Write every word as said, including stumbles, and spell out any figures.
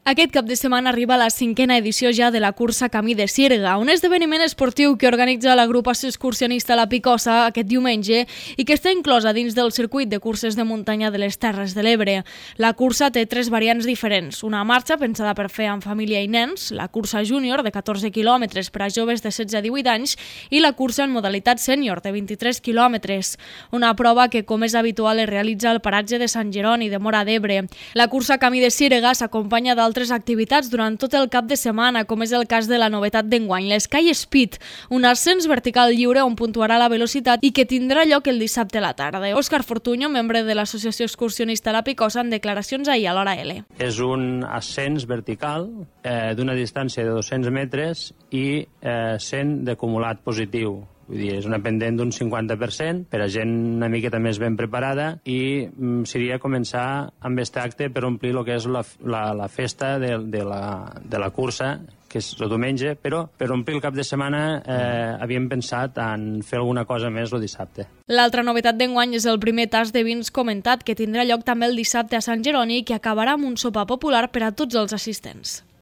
Aquest cap de setmana arriba la cinquena edició ja de la cursa Camí de Sirga, un esdeveniment esportiu que organitza l'agrupació excursionista La Picosa aquest diumenge i que està inclosa dins del circuit de curses de muntanya de les Terres de l'Ebre. La cursa té tres variants diferents, una marxa pensada per fer amb família i nens, la cursa júnior de catorze quilòmetres per a joves de setze a divuit anys i la cursa en modalitat sènior de vint-i-tres quilòmetres, una prova que, com és habitual, es realitza al paratge de Sant Jeroni de Móra d'Ebre. La cursa Camí de Sirga s'acompanya d'altres activitats durant tot el cap de setmana, com és el cas de la novetat d'enguany, l'Sky Speed, un ascens vertical lliure on puntuarà la velocitat i que tindrà lloc el dissabte a la tarda. Òscar Fortuño, membre de l'Associació Excursionista La Picosa, en declaracions ahir a l'Hora L. És un ascens vertical eh, d'una distància de dos-cents metres i eh, cent d'acumulat positiu. Vull dir, és una pendent d'un cinquanta per cent per a gent una miqueta més ben preparada i mm, seria començar amb aquest acte per omplir el que és la, la, la festa de, de, la, de la cursa, que és el diumenge, però per omplir el cap de setmana eh, havíem pensat en fer alguna cosa més el dissabte. L'altra novetat d'enguany és el primer tas de vins comentat, que tindrà lloc també el dissabte a Sant Jeroni i que acabarà amb un sopar popular per a tots els assistents.